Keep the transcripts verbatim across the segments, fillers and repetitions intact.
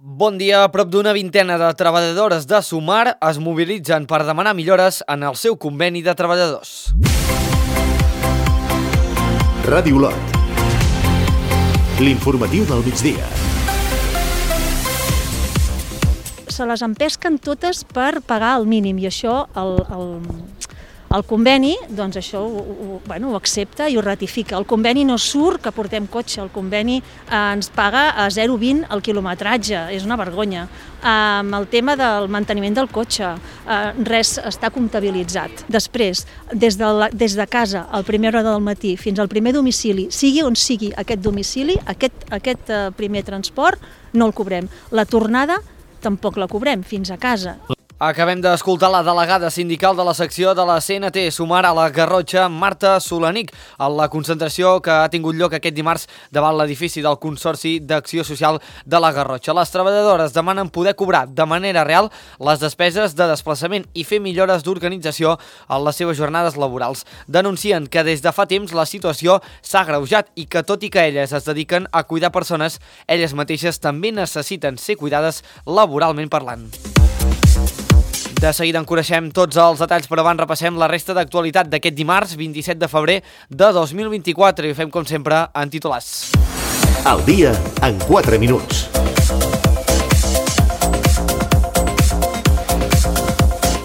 Bon dia. Prop d'una vintena de treballadores de Sumar es mobilitzen per demanar millores en el seu conveni de treballadors. Ràdio Lot. L'informatiu del migdia. Se les empesquen totes per pagar el mínim i això el, el, el conveni doncs això ho, ho, bueno, ho accepta i ho ratifica. El conveni no surt que portem cotxe, el conveni eh, ens paga a zero coma vint el quilometratge, és una vergonya. Amb el tema del manteniment del cotxe, eh, res està comptabilitzat. Després, des de, la, des de casa a la primera hora del matí fins al primer domicili, sigui on sigui aquest domicili, aquest, aquest eh, primer transport no el cobrem. La tornada tampoc la cobrem fins a casa. Acabem d'escoltar la delegada sindical de la secció de la C N T Sumar a la Garrotxa, Marta Solanic, a la concentració que ha tingut lloc aquest dimarts davant l'edifici del Consorci d'Acció Social de la Garrotxa. Les treballadores demanen poder cobrar de manera real les despeses de desplaçament i fer millores d'organització en les seves jornades laborals. Denuncien que des de fa temps la situació s'ha agreujat i que tot i que elles es dediquen a cuidar persones, elles mateixes també necessiten ser cuidades laboralment parlant. De seguida en coneixem tots els detalls, però abans repassem la resta d'actualitat d'aquest dimarts, vint-i-set de febrer de dos mil vint-i-quatre, i ho fem com sempre en titulars. El dia en quatre minuts.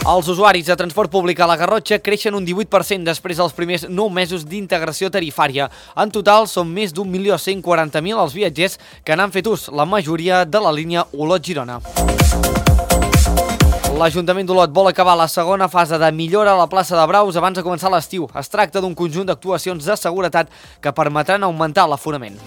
Els usuaris de transport públic a la Garrotxa creixen un divuit per cent després dels primers nou mesos d'integració tarifària. En total, són més d'un milió cent quaranta mil els viatgers que n'han fet ús, la majoria de la línia Olot-Girona. L'Ajuntament d'Olot vol acabar la segona fase de millora a la plaça de Braus abans de començar l'estiu. Es tracta d'un conjunt d'actuacions de seguretat que permetran augmentar l'aforament.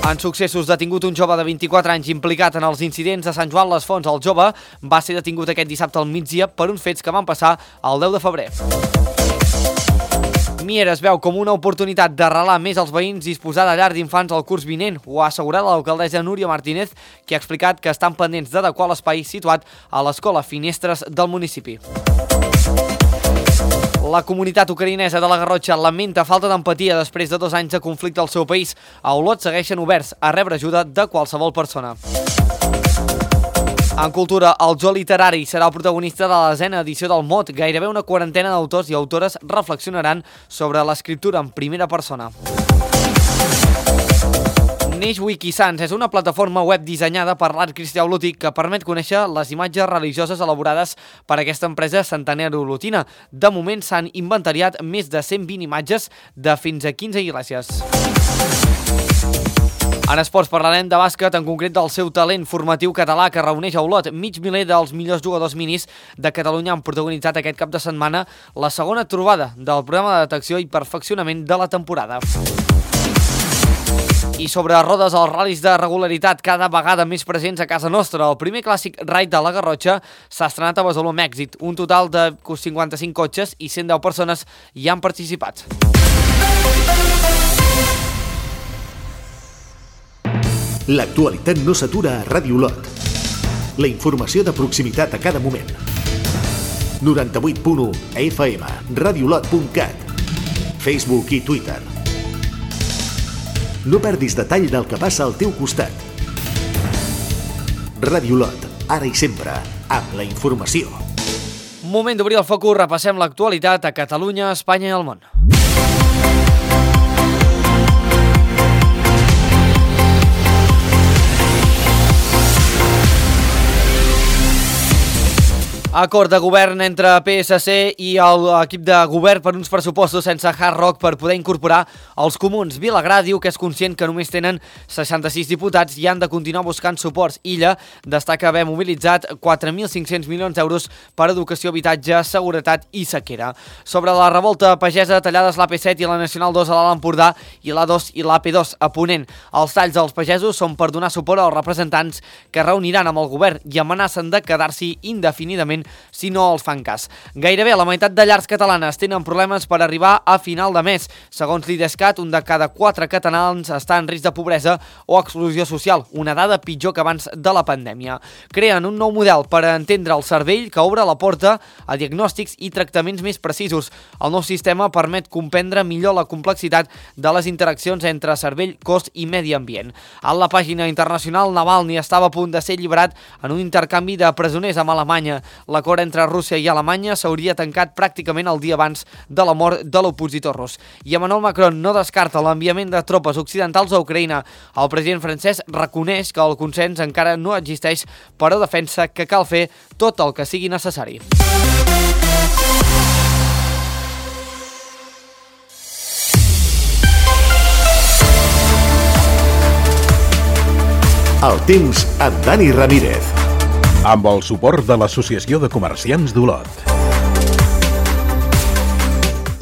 En successos, detingut un jove de vint-i-quatre anys implicat en els incidents de Sant Joan les Fonts. El jove va ser detingut aquest dissabte al migdia per uns fets que van passar el deu de febrer. Mier es veu com una oportunitat d'arrelar més els veïns i disposar de llar d'infants al curs vinent. Ho ha assegurat l'alcaldessa Núria Martínez, que ha explicat que estan pendents d'adequar l'espai situat a l'escola Finestres del municipi. La comunitat ucraïnesa de la Garrotxa lamenta falta d'empatia després de dos anys de conflicte al seu país. A Olot segueixen oberts a rebre ajuda de qualsevol persona. En cultura, el Zoo Literari serà el protagonista de la desena edició del Mot. Gairebé una quarantena d'autors i autores reflexionaran sobre l'escriptura en primera persona. Neix Wikisans és una plataforma web dissenyada per l'art cristià olotí que permet conèixer les imatges religioses elaborades per aquesta empresa centenària olotina. De moment s'han inventariat més de cent vint imatges de fins a quinze iglesias. En esports parlarem de bàsquet, en concret del seu talent formatiu català que reuneix a Olot. Mig miler dels millors jugadors minis de Catalunya han protagonitzat aquest cap de setmana la segona trobada del programa de detecció i perfeccionament de la temporada. I sobre rodes, els ral·lis de regularitat cada vegada més presents a casa nostra. El primer clàssic Ride de la Garrotxa s'ha estrenat a Besalú amb èxit. Un total de cinquanta-cinc cotxes i cent deu persones hi han participat. L'actualitat no s'atura a Ràdio Lot. La informació de proximitat a cada moment. noranta-vuit punt u F M, radiolot punt cat, Facebook i Twitter. No perdis detall del que passa al teu costat. Ràdio Lot, ara i sempre, amb la informació. Moment d'obrir el focus, repassem l'actualitat a Catalunya, Espanya i el món. Acord de govern entre P S C i l'equip de govern per uns pressupostos sense Hard Rock per poder incorporar els comuns. Vilagrà diu que és conscient que només tenen seixanta-sis diputats i han de continuar buscant suports. Illa destaca haver mobilitzat quatre mil cinc-cents milions d'euros per educació, habitatge, seguretat i sequera. Sobre la revolta pagesa, tallades l'A P set i la Nacional dos a l'Alt Empordà i l'A dos i l'A P dos a Ponent. Els talls als pagesos són per donar suport als representants que reuniran amb el govern i amenacen de quedar-s'hi indefinidament si no els fan cas. Gairebé la meitat de llars catalanes tenen problemes per arribar a final de mes. Segons l'Idescat, un de cada quatre catalans està en risc de pobresa o exclusió social, una dada pitjor que abans de la pandèmia. Creen un nou model per entendre el cervell que obre la porta a diagnòstics i tractaments més precisos. El nou sistema permet comprendre millor la complexitat de les interaccions entre cervell, cos i medi ambient. A la pàgina internacional, Navalny estava a punt de ser alliberat en un intercanvi de presoners amb Alemanya. L'acord entre Rússia i Alemanya s'hauria tancat pràcticament el dia abans de la mort de l'opositor rus. I Emmanuel Macron no descarta l'enviament de tropes occidentals a Ucraïna. El president francès reconeix que el consens encara no existeix, però defensa que cal fer tot el que sigui necessari. El temps amb Dani Ramírez. Amb el suport de l'Associació de Comerciants d'Olot.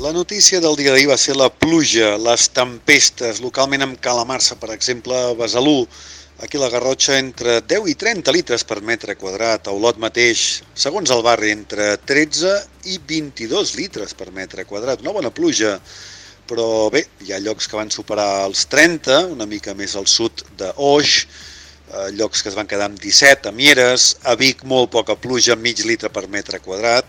La notícia del dia d'ahir va ser la pluja, les tempestes, localment amb calamarsa, per exemple, a Besalú. Aquí a la Garrotxa, entre deu i trenta litres per metre quadrat. A Olot mateix, segons el barri, entre tretze i vint-i-dos litres per metre quadrat. Una bona pluja, però bé, hi ha llocs que van superar els trenta, una mica més al sud d'Oix, llocs que es van quedar amb disset, a Mieres, a Vic molt poca pluja, mig litre per metre quadrat,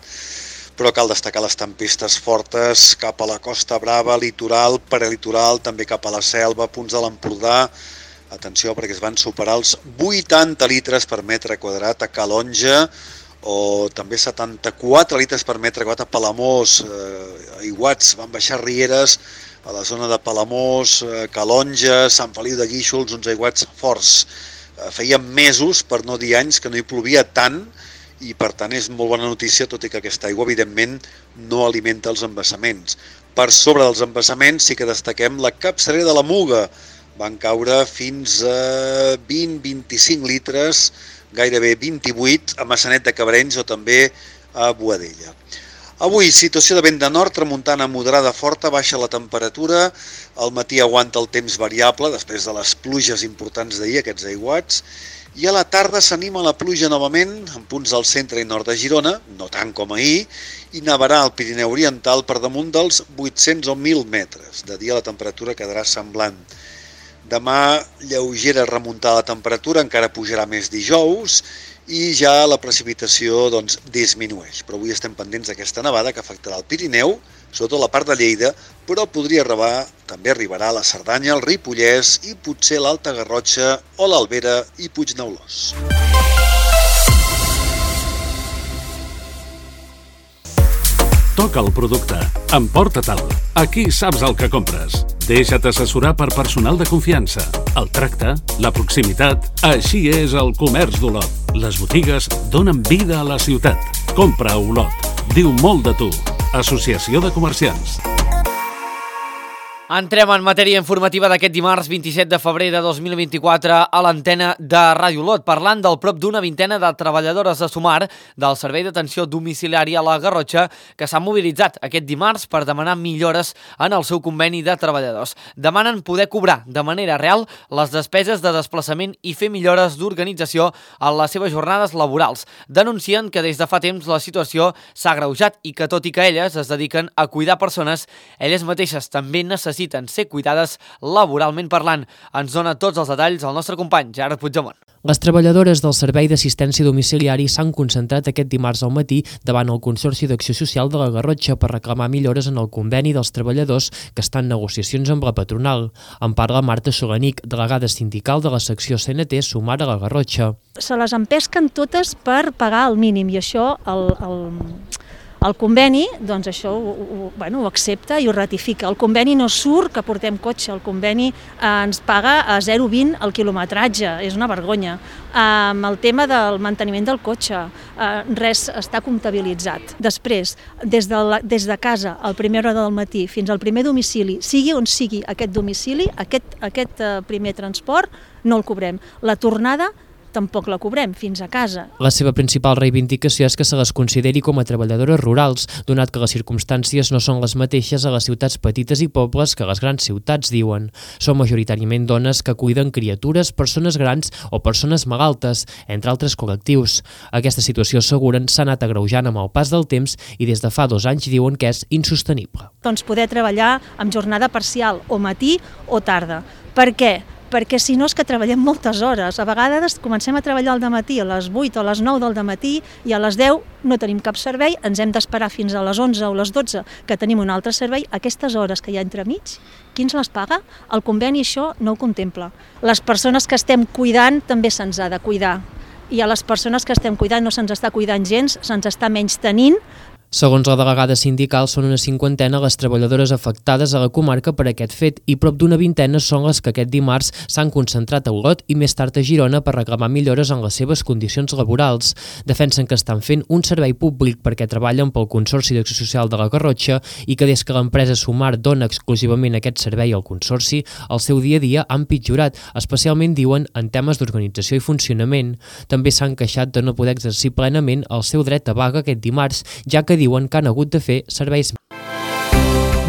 però cal destacar les tempestes fortes cap a la Costa Brava, litoral, prelitoral, també cap a la Selva, punts de l'Empordà. Atenció, perquè es van superar els vuitanta litres per metre quadrat a Calonja, o també setanta-quatre litres per metre quadrat a Palamós, eh, aiguats, van baixar rieres a la zona de Palamós, eh, Calonja, Sant Feliu de Guíxols, uns aiguats forts. Eh, feia mesos, per no dir anys, que no hi plovia tant, i per tant és molt bona notícia, tot i que aquesta aigua evidentment no alimenta els embassaments. Per sobre dels embassaments sí que destaquem la capçalera de la Muga. Van caure fins a vint a vint-i-cinc litres, gairebé vint-i-vuit, a Massanet de Cabrenys o també a Boadella. Avui, situació de vent de nord, tramuntana moderada forta, baixa la temperatura, al matí aguanta el temps variable, després de les pluges importants d'ahir, aquests aiguats, i a la tarda s'anima la pluja novament, en punts del centre i nord de Girona, no tant com ahir, i nevarà al Pirineu Oriental per damunt dels vuit-cents o mil metres. De dia la temperatura quedarà semblant. Demà, lleugera remuntada la temperatura, encara pujarà més dijous, i ja la precipitació doncs, disminueix. Però avui estem pendents d'aquesta nevada que afectarà el Pirineu, sobretot la part de Lleida, però podria arribar, també arribarà a la Cerdanya, el Ripollès i potser l'Alta Garrotxa o l'Albera i Puigneulós. Toca el producte. Emporta-te'l. Aquí saps el que compres. Deixa't assessorar per personal de confiança. El tracte, la proximitat, així és el comerç d'Olot. Les botigues donen vida a la ciutat. Compra a Olot. Diu molt de tu. Associació de Comerciants. Entrem en matèria informativa d'aquest dimarts vint-i-set de febrer de dos mil vint-i-quatre a l'antena de Ràdio Olot, parlant del prop d'una vintena de treballadores de Sumar del Servei d'Atenció Domiciliària a la Garrotxa que s'han mobilitzat aquest dimarts per demanar millores en el seu conveni de treballadors. Demanen poder cobrar de manera real les despeses de desplaçament i fer millores d'organització en les seves jornades laborals. Denuncien que des de fa temps la situació s'ha agreujat i que tot i que elles es dediquen a cuidar persones, elles mateixes també necessiten necessiten ser cuidades laboralment parlant. Ens dona tots els detalls el nostre company, Gerard Puigdemont. Les treballadores del Servei d'Assistència Domiciliari s'han concentrat aquest dimarts al matí davant el Consorci d'Acció Social de la Garrotxa per reclamar millores en el conveni dels treballadors que estan en negociacions amb la patronal. En parla Marta Solanic, delegada sindical de la secció C N T Sumar a la Garrotxa. Se les empesquen totes per pagar el mínim i això el... el... El conveni, doncs això ho, ho, bueno, ho accepta i ho ratifica. El conveni no surt que portem cotxe, el conveni eh, ens paga a zero coma vint el quilometratge, és una vergonya. Amb eh, el tema del manteniment del cotxe, eh, res està comptabilitzat. Després, des de, la, des de casa, a la primera hora del matí, fins al primer domicili, sigui on sigui aquest domicili, aquest, aquest eh, primer transport, no el cobrem. La tornada tampoc la cobrem fins a casa. La seva principal reivindicació és que se les consideri com a treballadores rurals, donat que les circumstàncies no són les mateixes a les ciutats petites i pobles que a les grans ciutats, diuen. Són majoritàriament dones que cuiden criatures, persones grans o persones malaltes, entre altres col·lectius. Aquesta situació, asseguren, s'ha anat agreujant amb el pas del temps i des de fa dos anys diuen que és insostenible. Doncs poder treballar amb jornada parcial, o matí o tarda. Per què? Perquè si no és que treballem moltes hores. A vegades comencem a treballar al dematí a les vuit o a les nou del dematí i a les deu no tenim cap servei, ens hem d'esperar fins a les onze o les dotze que tenim un altre servei. Aquestes hores que hi ha entremig, qui ens les paga? El conveni això no ho contempla. Les persones que estem cuidant també se'ns ha de cuidar. I a les persones que estem cuidant no se'ns està cuidant gens, se'ns està menys tenint. Segons la delegada sindical, són una cinquantena les treballadores afectades a la comarca per aquest fet i prop d'una vintena són les que aquest dimarts s'han concentrat a Olot i més tard a Girona per reclamar millores en les seves condicions laborals. Defensen que estan fent un servei públic perquè treballen pel Consorci d'Acció Social de la Garrotxa i que des que l'empresa Sumar dona exclusivament aquest servei al Consorci, el seu dia a dia ha empitjorat, especialment, diuen, en temes d'organització i funcionament. També s'han queixat de no poder exercir plenament el seu dret a vaga aquest dimarts, ja que diuen que han hagut de fer serveis.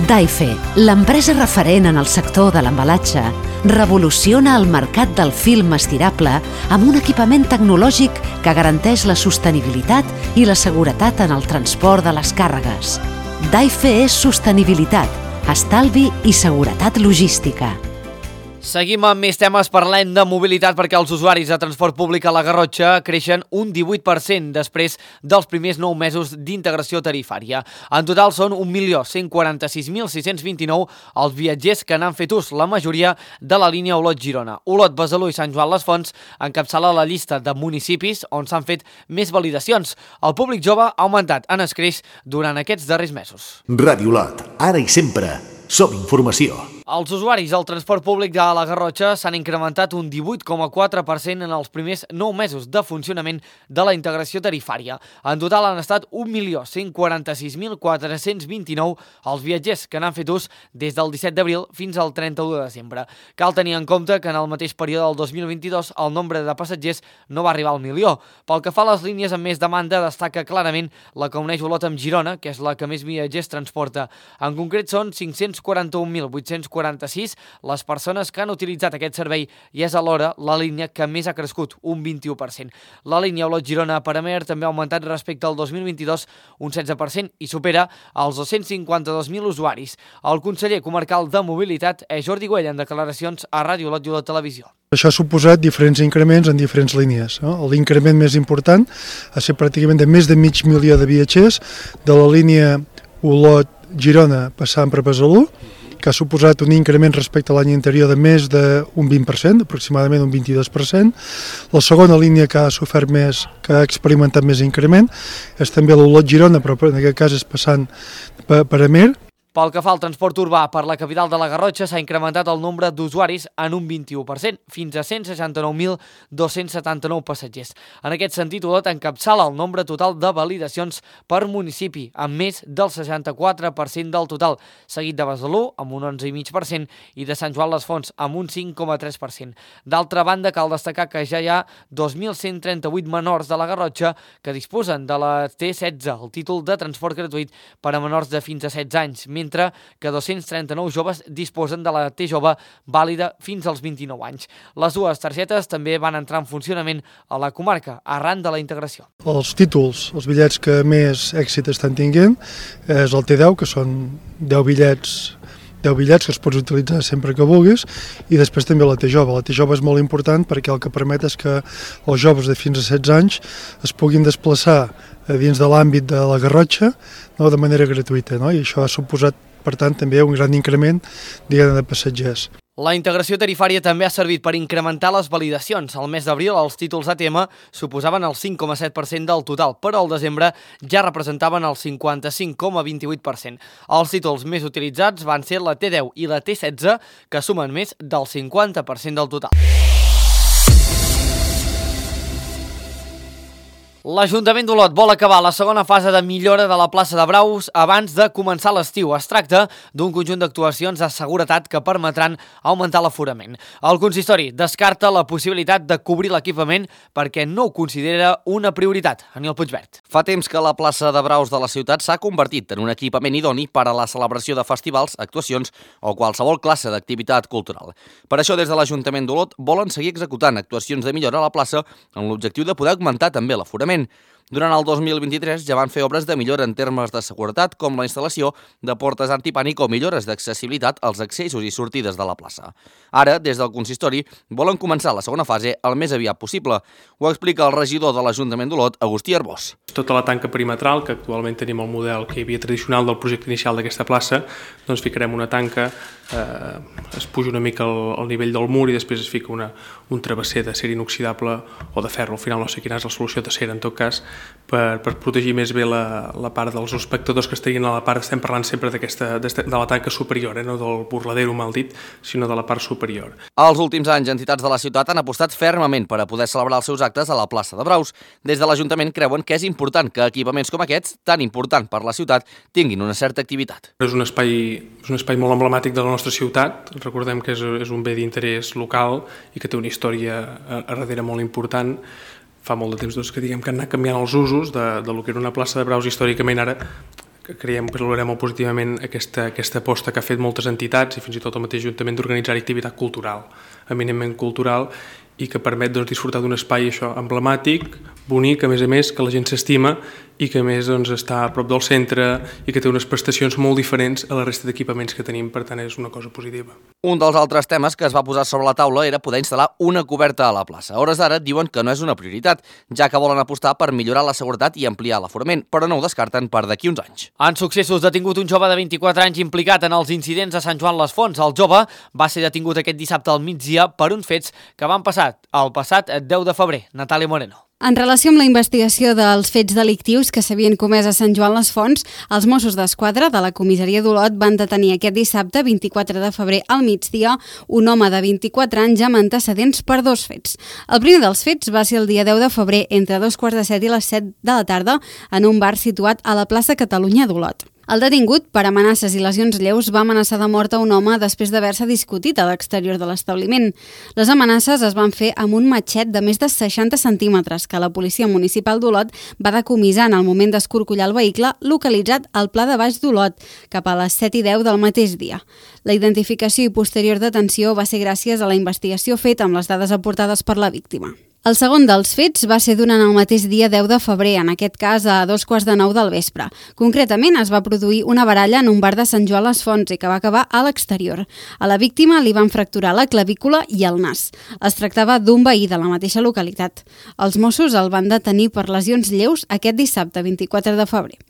Daife, l'empresa referent en el sector de l'embalatge, revoluciona el mercat del film estirable amb un equipament tecnològic que garanteix la sostenibilitat i la seguretat en el transport de les càrregues. Daife és sostenibilitat, estalvi i seguretat logística. Seguim amb més temes, parlem de mobilitat perquè els usuaris de transport públic a la Garrotxa creixen un divuit per cent després dels primers nou mesos d'integració tarifària. En total són un milió cent quaranta-sis mil sis-cents vint-i-nou els viatgers que n'han fet ús, la majoria de la línia Olot-Girona. Olot, Besalú i Sant Joan les Fonts encapçala la llista de municipis on s'han fet més validacions. El públic jove ha augmentat en escreix durant aquests darrers mesos. Ràdio Olot, ara i sempre, som informació. Els usuaris del transport públic de la Garrotxa s'han incrementat un divuit coma quatre per cent en els primers nou mesos de funcionament de la integració tarifària. En total han estat un milió cent quaranta-sis mil quatre-cents vint-i-nou els viatgers que n'han fet ús des del disset d'abril fins al trenta-u de desembre. Cal tenir en compte que en el mateix període del dos mil vint-i-dos el nombre de passatgers no va arribar al milió. Pel que fa a les línies amb més demanda, destaca clarament la que uneix Olot amb Girona, que és la que més viatgers transporta. En concret són cinc-cents quaranta-un mil vuit-cents quaranta-sis les persones que han utilitzat aquest servei i és alhora la línia que més ha crescut, un vint-i-u per cent. La línia Olot-Girona-Paramer també ha augmentat respecte al dos mil vint-i-dos un setze per cent i supera els dos-cents cinquanta-dos mil usuaris. El conseller comarcal de Mobilitat és Jordi Güell en declaracions a Ràdio Olot i Olot Televisió. Això ha suposat diferents increments en diferents línies. L'increment més important ha estat pràcticament de més de mig milió de viatgers de la línia Olot-Girona passant per Besalú, que ha suposat un increment respecte a l'any anterior de més d'un vint per cent, aproximadament un vint-i-dos per cent. La segona línia que ha sofert més, que ha experimentat més increment, és també l'Olot-Girona, però en aquest cas és passant per Amer. Pel que fa al transport urbà per la capital de la Garrotxa s'ha incrementat el nombre d'usuaris en un vint-i-u per cent, fins a cent seixanta-nou mil dos-cents setanta-nou passatgers. En aquest sentit, Olot encapçala el nombre total de validacions per municipi, amb més del seixanta-quatre per cent del total, seguit de Besalú, amb un onze coma cinc per cent, i de Sant Joan les Fonts, amb un cinc coma tres per cent. D'altra banda, cal destacar que ja hi ha dos mil cent trenta-vuit menors de la Garrotxa que disposen de la T setze, el títol de transport gratuït per a menors de fins a setze anys, mentre que dos-cents trenta-nou joves disposen de la T jove vàlida fins als vint-i-nou anys. Les dues targetes també van entrar en funcionament a la comarca, arran de la integració. Els títols, els bitllets que més èxit estan tinguent, és el T deu, que són deu bitllets deu bitllets que els pots utilitzar sempre que vulguis, i després també la T jove. La T jove és molt important perquè el que permet és que els joves de fins a setze anys es puguin desplaçar dins de l'àmbit de la Garrotxa, no, de manera gratuïta, no? I això ha suposat, per tant, també un gran increment, diguem, de passatgers. La integració tarifària també ha servit per incrementar les validacions. Al mes d'abril, els títols A T M suposaven el cinc coma set per cent del total, però al desembre ja representaven el cinquanta-cinc coma vint-i-vuit per cent. Els títols més utilitzats van ser la T deu i la T setze, que sumen més del cinquanta per cent del total. L'Ajuntament d'Olot vol acabar la segona fase de millora de la plaça de Braus abans de començar l'estiu. Es tracta d'un conjunt d'actuacions de seguretat que permetran augmentar l'aforament. El consistori descarta la possibilitat de cobrir l'equipament perquè no ho considera una prioritat. Aniol Puigvert. Fa temps que la plaça de Braus de la ciutat s'ha convertit en un equipament idoni per a la celebració de festivals, actuacions o qualsevol classe d'activitat cultural. Per això, des de l'Ajuntament d'Olot volen seguir executant actuacions de millora a la plaça amb l'objectiu de poder augmentar també l'aforament. Durant el dos mil vint-i-tres ja van fer obres de millora en termes de seguretat, com la instal·lació de portes antipànic o millores d'accessibilitat als accessos i sortides de la plaça. Ara, des del consistori, volen començar la segona fase el més aviat possible. Ho explica el regidor de l'Ajuntament d'Olot, Agustí Arbós. Tota la tanca perimetral, que actualment tenim el model que hi havia tradicional del projecte inicial d'aquesta plaça, doncs ficarem una tanca, eh, es puja una mica al, al nivell del mur i després es fica una, un travesser d'acer inoxidable o de ferro. Al final no sé quina és la solució d'acer, en tot cas, per, per protegir més bé la, la part dels espectadors que estarien a la part, estem parlant sempre d'aquesta de la tanca superior, eh, no del burladero mal dit, sinó de la part superior. Els últims anys, entitats de la ciutat han apostat fermament per a poder celebrar els seus actes a la plaça de Braus. Des de l'Ajuntament creuen que és important que equipaments com aquests, tan important per la ciutat, tinguin una certa activitat. És un espai, és un espai molt emblemàtic de la nostra ciutat. Recordem que és, és un bé d'interès local i que té una història a, a darrere molt important. Fa molt de temps doncs, que diguem que han anat canviant els usos de, de lo que era una plaça de Braus històricament. Ara que creiem que valorem molt positivament aquesta, aquesta aposta que ha fet moltes entitats i fins i tot el mateix Ajuntament d'organitzar activitat cultural, eminentment cultural, i que permet doncs, disfrutar d'un espai això emblemàtic, bonic, a més a més, que la gent s'estima i que a més doncs, està a prop del centre i que té unes prestacions molt diferents a la resta d'equipaments que tenim, per tant és una cosa positiva. Un dels altres temes que es va posar sobre la taula era poder instal·lar una coberta a la plaça. A hores d'ara diuen que no és una prioritat, ja que volen apostar per millorar la seguretat i ampliar l'aforament, però no ho descarten per d'aquí uns anys. En successos, detingut un jove de vint-i-quatre anys implicat en els incidents de Sant Joan les Fonts. El jove va ser detingut aquest dissabte al migdia per uns fets que van passar el passat deu de febrer. Natàlia Moreno. En relació amb la investigació dels fets delictius que s'havien comès a Sant Joan les Fonts, els Mossos d'Esquadra de la comissaria d'Olot van detenir aquest dissabte, vint-i-quatre de febrer al migdia, un home de vint-i-quatre anys amb antecedents per dos fets. El primer dels fets va ser el dia deu de febrer, entre dos quarts de set i les set de la tarda, en un bar situat a la plaça Catalunya d'Olot. El detingut, per amenaces i lesions lleus, va amenaçar de mort a un home després d'haver-se discutit a l'exterior de l'establiment. Les amenaces es van fer amb un matxet de més de seixanta centímetres que la policia municipal d'Olot va decomissar en el moment d'escorcollar el vehicle localitzat al Pla de Baix d'Olot, cap a les set i deu del mateix dia. La identificació i posterior detenció va ser gràcies a la investigació feta amb les dades aportades per la víctima. El segon dels fets va ser durant el mateix dia deu de febrer, en aquest cas a dos quarts de nou del vespre. Concretament, es va produir una baralla en un bar de Sant Joan les Fonts i que va acabar a l'exterior. A la víctima li van fracturar la clavícula i el nas. Es tractava d'un veí de la mateixa localitat. Els Mossos el van detenir per lesions lleus aquest dissabte, vint-i-quatre de febrer.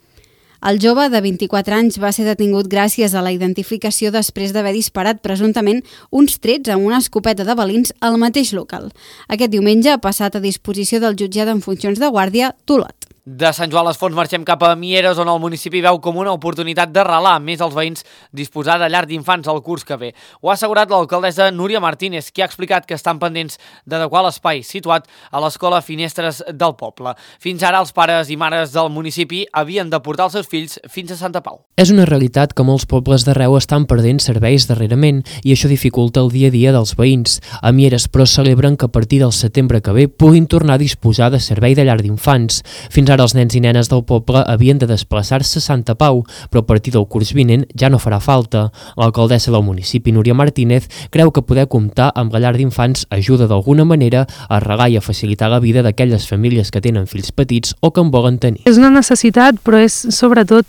El jove de vint-i-quatre anys va ser detingut gràcies a la identificació després d'haver disparat presumptament uns trets amb una escopeta de balins al mateix local. Aquest diumenge ha passat a disposició del jutjat en funcions de guàrdia d'Olot. De Sant Joan les Fonts marxem cap a Mieres, on el municipi veu com una oportunitat d'arrelar més als veïns disposar de llar d'infants al curs que ve. Ho ha assegurat l'alcaldessa Núria Martínez, qui ha explicat que estan pendents d'adequar l'espai situat a l'escola Finestres del Poble. Fins ara els pares i mares del municipi havien de portar els seus fills fins a Santa Pau. És una realitat que molts pobles d'arreu estan perdent serveis darrerament i això dificulta el dia a dia dels veïns. A Mieres, però, celebren que a partir del setembre que ve puguin tornar a disposar de servei de llar d'infants. Fins ara els nens i nenes del poble havien de desplaçar-se a Santa Pau, però a partir del curs vinent ja no farà falta. L'alcaldessa del municipi, Núria Martínez, creu que poder comptar amb la llar d'infants ajuda d'alguna manera a arregar i a facilitar la vida d'aquelles famílies que tenen fills petits o que en volen tenir. És una necessitat, però és sobretot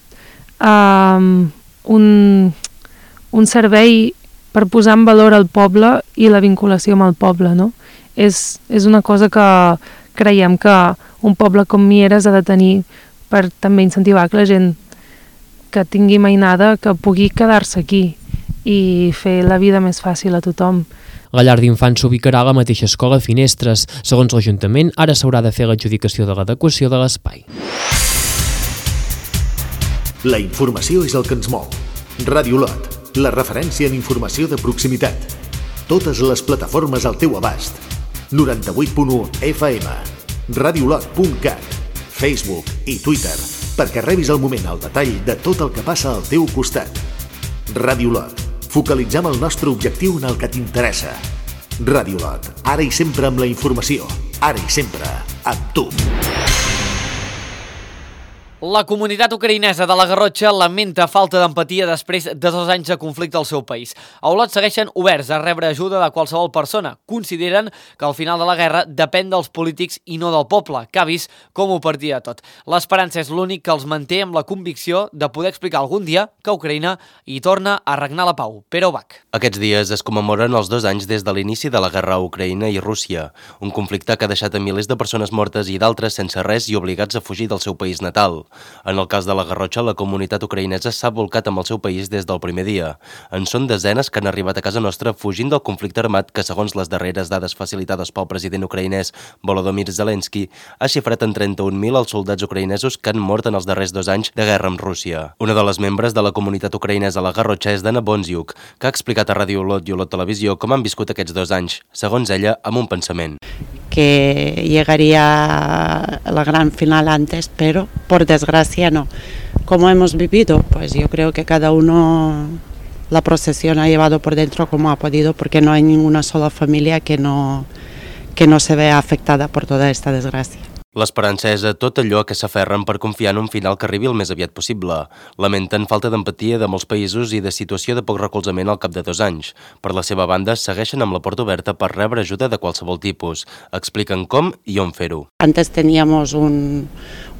um, un, un servei per posar en valor el poble i la vinculació amb el poble, no? És, és una cosa que creiem que un poble com Mieres ha de tenir per també incentivar que la gent que tingui mainada que pugui quedar-se aquí i fer la vida més fàcil a tothom. La llar d'infants s'ubicarà a la mateixa escola Finestres. Segons l'Ajuntament, ara s'haurà de fer l'adjudicació de l'adequació de l'espai. La informació és el que ens mou. Ràdio Olot, la referència en informació de proximitat. Totes les plataformes al teu abast. noranta-vuit punt u F M. radiolot punt cat. Facebook i Twitter perquè rebis al moment el detall de tot el que passa al teu costat. Ràdio Lot. Focalitzem el nostre objectiu en el que t'interessa. Ràdio Lot. Ara i sempre amb la informació. Ara i sempre amb tu. La comunitat ucraïnesa de la Garrotxa lamenta falta d'empatia després de dos anys de conflicte al seu país. A Olot segueixen oberts a rebre ajuda de qualsevol persona. Consideren que al final de la guerra depèn dels polítics i no del poble, que ha vist com ho perdia tot. L'esperança és l'únic que els manté amb la convicció de poder explicar algun dia que Ucraïna hi torna a regnar la pau. Pere Ubach. Aquests dies es commemoren els dos anys des de l'inici de la guerra a Ucraïna i Rússia, un conflicte que ha deixat a milers de persones mortes i d'altres sense res i obligats a fugir del seu país natal. En el cas de la Garrotxa, la comunitat ucraïnesa s'ha volcat amb el seu país des del primer dia. En són desenes que han arribat a casa nostra fugint del conflicte armat que, segons les darreres dades facilitades pel president ucraïnès Volodymyr Zelensky, ha xifrat en trenta-un mil els soldats ucraïnesos que han mort en els darrers dos anys de guerra amb Rússia. Una de les membres de la comunitat ucraïnesa a la Garrotxa és Dana Bonziuk, que ha explicat a Ràdio Olot i Olot Televisió com han viscut aquests dos anys, segons ella, amb un pensament. Que llegaría la gran final antes, pero por desgracia no. ¿Cómo hemos vivido? Pues yo creo que cada uno la procesión ha llevado por dentro como ha podido, porque no hay ninguna sola familia que no, que no se vea afectada por toda esta desgracia. L'esperança és a tot allò que s'aferren per confiar en un final que arribi el més aviat possible. Lamenten falta d'empatia de molts països i de situació de poc recolzament al cap de dos anys. Per la seva banda, segueixen amb la porta oberta per rebre ajuda de qualsevol tipus. Expliquen com i on fer-ho. Antes teníamos un,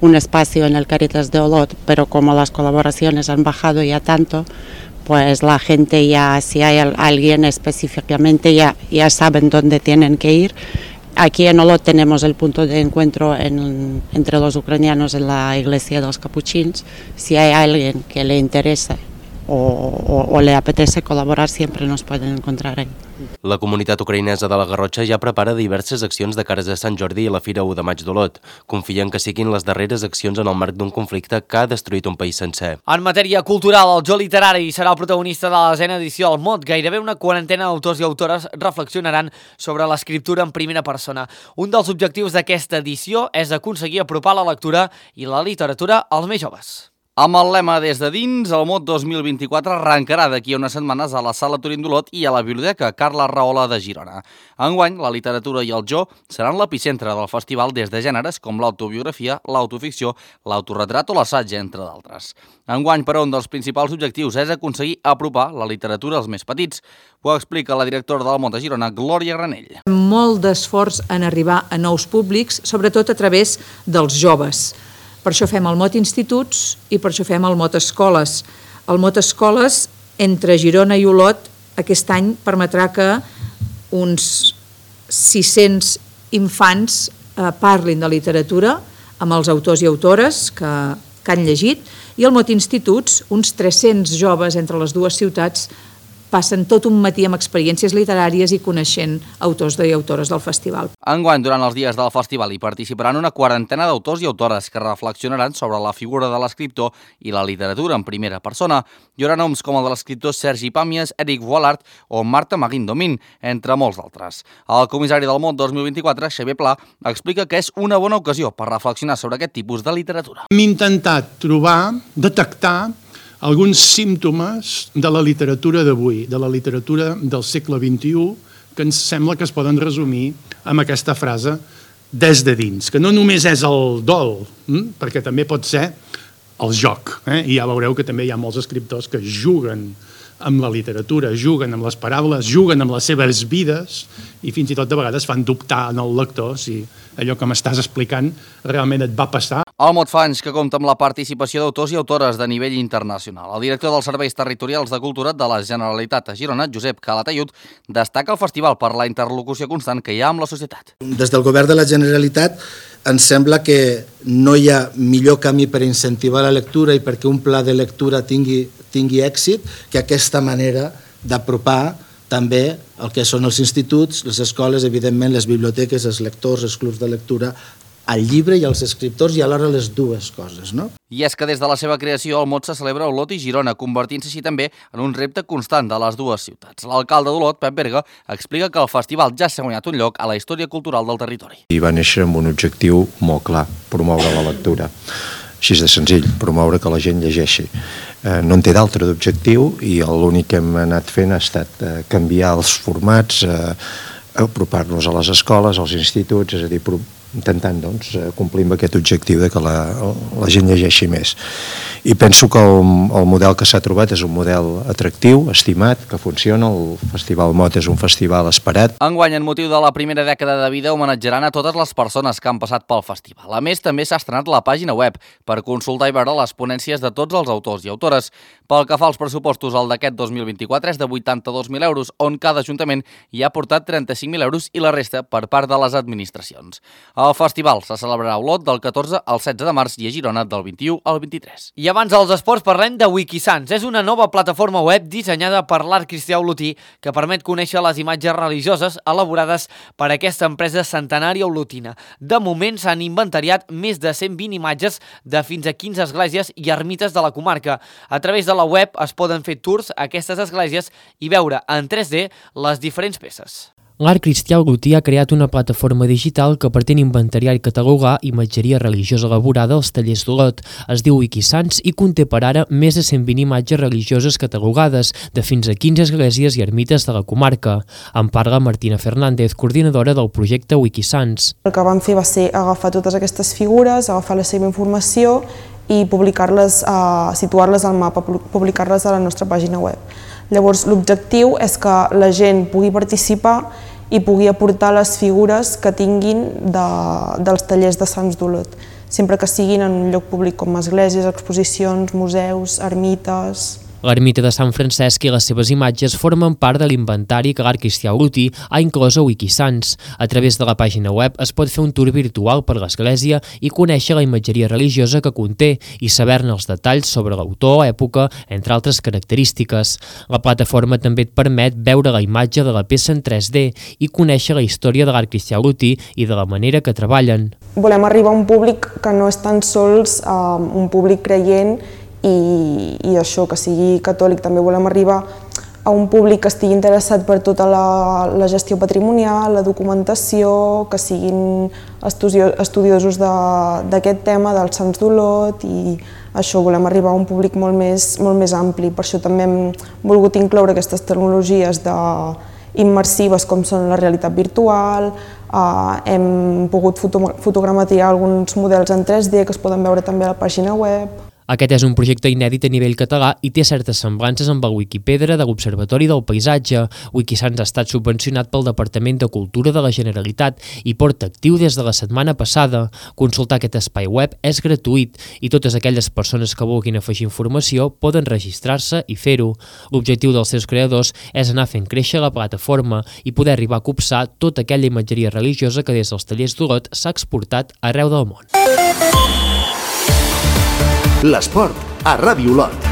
un espacio en el Caritas de Olot, pero como las colaboraciones han bajado ya tanto, pues la gente ya, si hay alguien específicamente, ya, ya saben dónde tienen que ir. Aquí en Olot tenemos el punto de encuentro en, entre los ucranianos en la iglesia de los capuchins. Si hay alguien que le interesa o, o, o le apetece colaborar, siempre nos pueden encontrar ahí. La comunitat ucraïnesa de la Garrotxa ja prepara diverses accions de cares a Sant Jordi i la Fira u de maig d'Olot. Confien que siguin les darreres accions en el marc d'un conflicte que ha destruït un país sencer. En matèria cultural, el Jo Literari serà el protagonista de la desena edició al Mot. Gairebé una quarantena d'autors i autores reflexionaran sobre l'escriptura en primera persona. Un dels objectius d'aquesta edició és aconseguir apropar la lectura i la literatura als més joves. Amb el lema Des de dins, el Mot dos mil vint-i-quatre arrencarà d'aquí a unes setmanes a la Sala Turín d'Olot i a la Biblioteca Carles Rahola de Girona. Enguany, la literatura i el jo seran l'epicentre del festival des de gèneres com l'autobiografia, l'autoficció, l'autorretrat o l'assaig, entre d'altres. Enguany, però, un dels principals objectius és aconseguir apropar la literatura als més petits. Ho explica la directora del Mot de Girona, Glòria Granell. Molt d'esforç en arribar a nous públics, sobretot a través dels joves. Per això fem el Mot Instituts i per això fem el Mot Escoles. El Mot Escoles, entre Girona i Olot, aquest any permetrà que uns sis-cents infants eh, parlin de literatura amb els autors i autores que, que han llegit, i el Mot Instituts, uns tres-cents joves entre les dues ciutats, passen tot un matí amb experiències literàries i coneixent autors i autores del festival. Enguany, durant els dies del festival, hi participaran una quarantena d'autors i autores que reflexionaran sobre la figura de l'escriptor i la literatura en primera persona. Hi haurà noms com el de l'escriptor Sergi Pàmies, Eric Vollard o Marta Maguindomín, entre molts d'altres. El comissari del Mot dos mil vint-i-quatre, Xavier Pla, explica que és una bona ocasió per reflexionar sobre aquest tipus de literatura. Hem intentat trobar, detectar alguns símptomes de la literatura d'avui, de la literatura del segle vint-i-u, que ens sembla que es poden resumir amb aquesta frase des de dins, que no només és el dol, hm? perquè també pot ser el joc. Eh? I ja veureu que també hi ha molts escriptors que juguen amb la literatura, juguen amb les paraules, juguen amb les seves vides i fins i tot de vegades fan dubtar en el lector si allò que m'estàs explicant realment et va passar. El Mot fa anys que compta amb la participació d'autors i autores de nivell internacional. El director dels Serveis Territorials de Cultura de la Generalitat a Girona, Josep Calatayud, destaca el festival per la interlocució constant que hi ha amb la societat. Des del Govern de la Generalitat ens sembla que no hi ha millor camí per incentivar la lectura i perquè un pla de lectura tingui, tingui èxit que aquesta manera d'apropar també el que són els instituts, les escoles, evidentment les biblioteques, els lectors, els clubs de lectura al llibre i als escriptors i alhora les dues coses, no? I és que des de la seva creació el mot se celebra a Olot i Girona, convertint-se així també en un repte constant de les dues ciutats. L'alcalde d'Olot, Pep Berga, explica que el festival ja s'ha guanyat un lloc a la història cultural del territori. I va néixer amb un objectiu molt clar, promoure la lectura. Així de senzill, promoure que la gent llegeixi. Eh, no en té d'altre d'objectiu i l'únic que hem anat fent ha estat eh, canviar els formats, eh, apropar-nos a les escoles, als instituts, és a dir, intentant doncs, complir amb aquest objectiu de que la, la gent llegeixi més. I penso que el, el model que s'ha trobat és un model atractiu, estimat, que funciona. El Festival Mot és un festival esperat. Enguany, en motiu de la primera dècada de vida, homenatjaran a totes les persones que han passat pel festival. A més, també s'ha estrenat la pàgina web per consultar i veure les ponències de tots els autors i autores. Pel que fa als pressupostos, el d'aquest dos mil vint-i-quatre és de vuitanta-dos mil euros, on cada ajuntament hi ha aportat trenta-cinc mil euros i la resta per part de les administracions. El festival se celebrarà a Olot del catorze al setze de març i a Girona del vint-i-u al vint-i-tres. I abans dels esports parlem de Wikisants. És una nova plataforma web dissenyada per l'art cristià olotí que permet conèixer les imatges religioses elaborades per aquesta empresa centenària olotina. De moment s'han inventariat més de cent vint imatges de fins a quinze esglésies i ermites de la comarca. A través de la web es poden fer tours a aquestes esglésies i veure en tres D les diferents peces. L'Art Cristià Olotí ha creat una plataforma digital que pretén inventariar i catalogar imatgeria religiosa elaborada als tallers d'Olot. Es diu Wikisants i conté per ara més de cent vint imatges religioses catalogades de fins a quinze esglésies i ermites de la comarca. En parla Martina Fernández, coordinadora del projecte Wikisants. El que vam fer va ser agafar totes aquestes figures, agafar la seva informació i publicar-les, uh, situar-les al mapa, publicar-les a la nostra pàgina web. Llavors, l'objectiu és que la gent pugui participar i pugui aportar les figures que tinguin de, dels tallers de Sants d'Olot, sempre que siguin en un lloc públic com esglésies, exposicions, museus, ermites. L'ermita de Sant Francesc i les seves imatges formen part de l'inventari que l'Art Cristià Olotí ha inclòs a Wikisants. A través de la pàgina web es pot fer un tour virtual per l'església i conèixer la imatgeria religiosa que conté i saber-ne els detalls sobre l'autor, època, entre altres característiques. La plataforma també et permet veure la imatge de la peça en tres D i conèixer la història de l'Art Cristià Olotí i de la manera que treballen. Volem arribar a un públic que no és tan sols um, un públic creient I, i això, que sigui catòlic. També volem arribar a un públic que estigui interessat per tota la, la gestió patrimonial, la documentació, que siguin estudiosos d'aquest tema, dels Sants d'Olot, i això, volem arribar a un públic molt més, molt més ampli. Per això també hem volgut incloure aquestes tecnologies de, immersives com són la realitat virtual, eh, hem pogut foto, fotogrametrar alguns models en tres D que es poden veure també a la pàgina web. Aquest és un projecte inèdit a nivell català i té certes semblances amb el Wikipedra de l'Observatori del Paisatge. Wikisants ha estat subvencionat pel Departament de Cultura de la Generalitat i porta actiu des de la setmana passada. Consultar aquest espai web és gratuït i totes aquelles persones que vulguin afegir informació poden registrar-se i fer-ho. L'objectiu dels seus creadors és anar fent créixer la plataforma i poder arribar a copsar tota aquella imatgeria religiosa que des dels tallers d'Olot s'ha exportat arreu del món. L'esport a Ràdio Olot.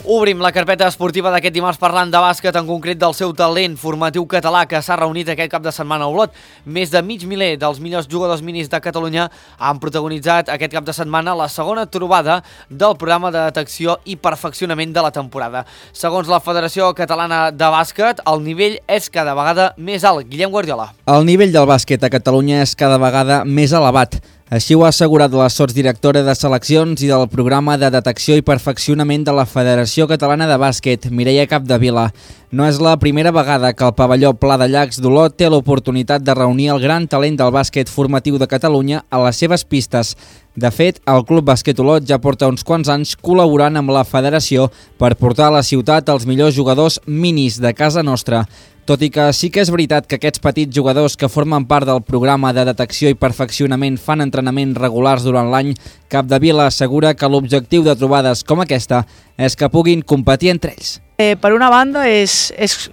Obrim la carpeta esportiva d'aquest dimarts parlant de bàsquet, en concret del seu talent formatiu català que s'ha reunit aquest cap de setmana a Olot. Més de mig miler dels millors jugadors minis de Catalunya han protagonitzat aquest cap de setmana la segona trobada del programa de detecció i perfeccionament de la temporada. Segons la Federació Catalana de Bàsquet, el nivell és cada vegada més alt. Guillem Guardiola. El nivell del bàsquet a Catalunya és cada vegada més elevat. Així ho ha assegurat la sotsdirectora de seleccions i del programa de detecció i perfeccionament de la Federació Catalana de Bàsquet, Mireia Capdevila. No és la primera vegada que el pavelló Pla de Llacs d'Olot té l'oportunitat de reunir el gran talent del bàsquet formatiu de Catalunya a les seves pistes. De fet, el Club Bàsquet Olot ja porta uns quants anys col·laborant amb la Federació per portar a la ciutat els millors jugadors minis de casa nostra. Tot i que sí que és veritat que aquests petits jugadors que formen part del programa de detecció i perfeccionament fan entrenaments regulars durant l'any, Capdevila assegura que l'objectiu de trobades com aquesta és que puguin competir entre ells. Eh, per una banda és, és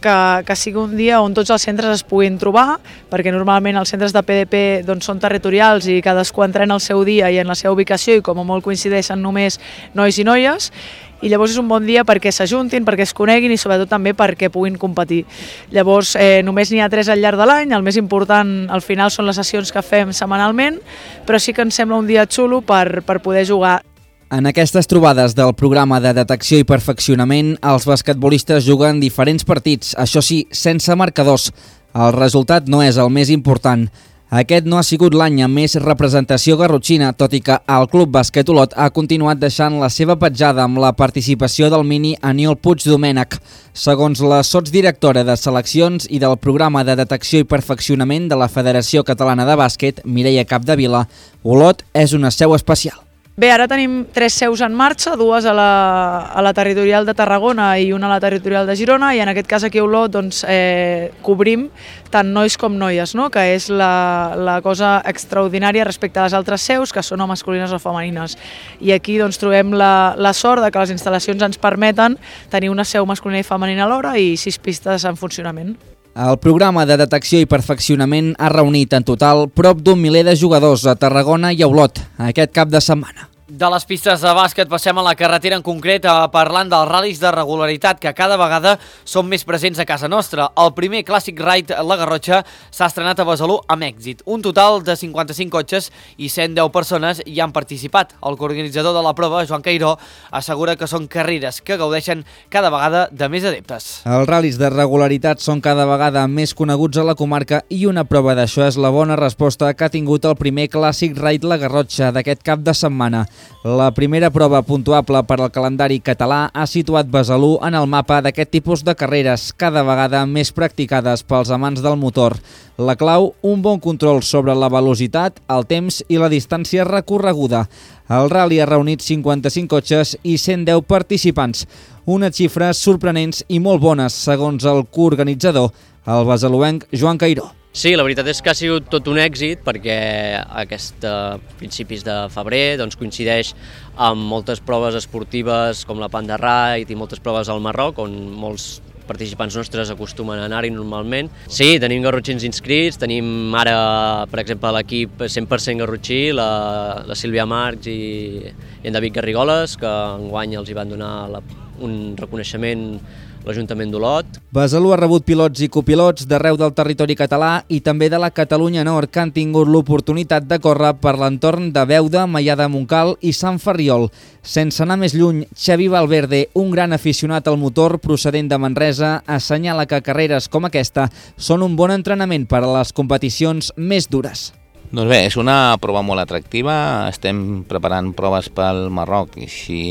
que, que sigui un dia on tots els centres es puguin trobar, perquè normalment els centres de P D P doncs, són territorials i cadascú entrena el seu dia i en la seva ubicació i com a molt coincideixen només nois i noies, i llavors és un bon dia perquè s'ajuntin, perquè es coneguin i sobretot també perquè puguin competir. Llavors eh, només n'hi ha tres al llarg de l'any, el més important al final són les sessions que fem setmanalment, però sí que ens sembla un dia xulo per, per poder jugar. En aquestes trobades del programa de detecció i perfeccionament, els basquetbolistes juguen diferents partits, això sí, sense marcadors. El resultat no és el més important. Aquest no ha sigut l'any amb més representació garrotxina, tot i que el Club Bàsquet Olot ha continuat deixant la seva petjada amb la participació del mini Aniol Puig Domènech. Segons la sotsdirectora de seleccions i del programa de detecció i perfeccionament de la Federació Catalana de Bàsquet, Mireia Capdevila, Olot és una seu especial. Bé, ara tenim tres seus en marxa, dues a la, a la territorial de Tarragona i una a la territorial de Girona, i en aquest cas aquí a Olot doncs, eh, cobrim tant nois com noies, no? Que és la, la cosa extraordinària respecte a les altres seus, que són o masculines o femenines. I aquí doncs, trobem la, la sort de que les instal·lacions ens permeten tenir una seu masculina i femenina alhora i sis pistes en funcionament. El programa de detecció i perfeccionament ha reunit en total prop d'un miler de jugadors a Tarragona i a Olot aquest cap de setmana. De les pistes de bàsquet passem a la carretera en concret parlant dels ral·lis de regularitat que cada vegada són més presents a casa nostra. El primer Classic Ride La Garrotxa s'ha estrenat a Besalú amb èxit. Un total de cinquanta-cinc cotxes i cent deu persones hi han participat. El coorganitzador de la prova, Joan Cairó, assegura que són carreres que gaudeixen cada vegada de més adeptes. Els ral·lis de regularitat són cada vegada més coneguts a la comarca i una prova d'això és la bona resposta que ha tingut el primer Classic Ride La Garrotxa d'aquest cap de setmana. La primera prova puntuable per al calendari català ha situat Besalú en el mapa d'aquest tipus de carreres, cada vegada més practicades pels amants del motor. La clau, un bon control sobre la velocitat, el temps i la distància recorreguda. El ral·li ha reunit cinquanta-cinc cotxes i cent deu participants, unes xifres sorprenents i molt bones, segons el coorganitzador, el besaluenc Joan Cairó. Sí, la veritat és que ha sigut tot un èxit perquè aquest uh, principis de febrer doncs, coincideix amb moltes proves esportives com la Panda Ride i moltes proves al Marroc on molts participants nostres acostumen a anar-hi normalment. Sí, tenim garrotxins inscrits, tenim ara, per exemple, l'equip cent per cent garrotxí, la, la Sílvia Marcs i, i en David Garrigoles, que enguany els hi van donar la, un reconeixement l'Ajuntament d'Olot. Besalú ha rebut pilots i copilots d'arreu del territori català i també de la Catalunya Nord que han tingut l'oportunitat de córrer per l'entorn de Beuda, Maià de Montcal i Sant Ferriol. Sense anar més lluny, Xavi Valverde, un gran aficionat al motor procedent de Manresa, assenyala que carreres com aquesta són un bon entrenament per a les competicions més dures. Doncs bé, és una prova molt atractiva, estem preparant proves pel Marroc i si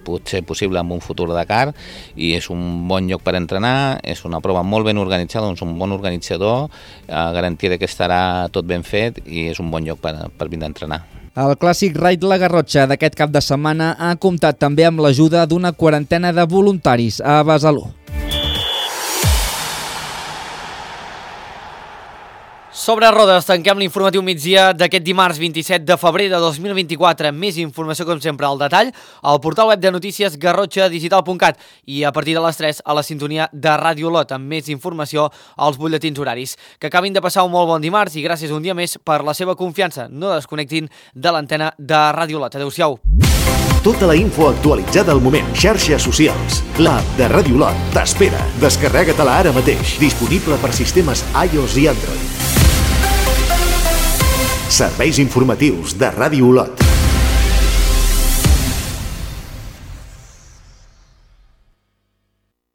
pot ser possible amb un futur Dakar i és un bon lloc per entrenar, és una prova molt ben organitzada, doncs un bon organitzador, eh, garantia que estarà tot ben fet i és un bon lloc per, per vindre a entrenar. El Clàssic Ride La Garrotxa d'aquest cap de setmana ha comptat també amb l'ajuda d'una quarantena de voluntaris a Besalú. Sobre rodes, tanquem l'informatiu migdia d'aquest dimarts vint-i-set de febrer de dos mil vint-i-quatre. Més informació, com sempre, al detall, al portal web de notícies garrotxa digital punt cat i a partir de les tres a la sintonia de Ràdio Olot amb més informació als butlletins horaris. Que acabin de passar un molt bon dimarts i gràcies un dia més per la seva confiança. No desconnectin de l'antena de Ràdio Olot. Adéu-siau. Tota la info actualitzada al moment. Xarxes socials. L'app de Ràdio Olot t'espera. Descarrega-te-la ara mateix. Disponible per sistemes iOS i Android. Serveis informatius de Ràdio Olot.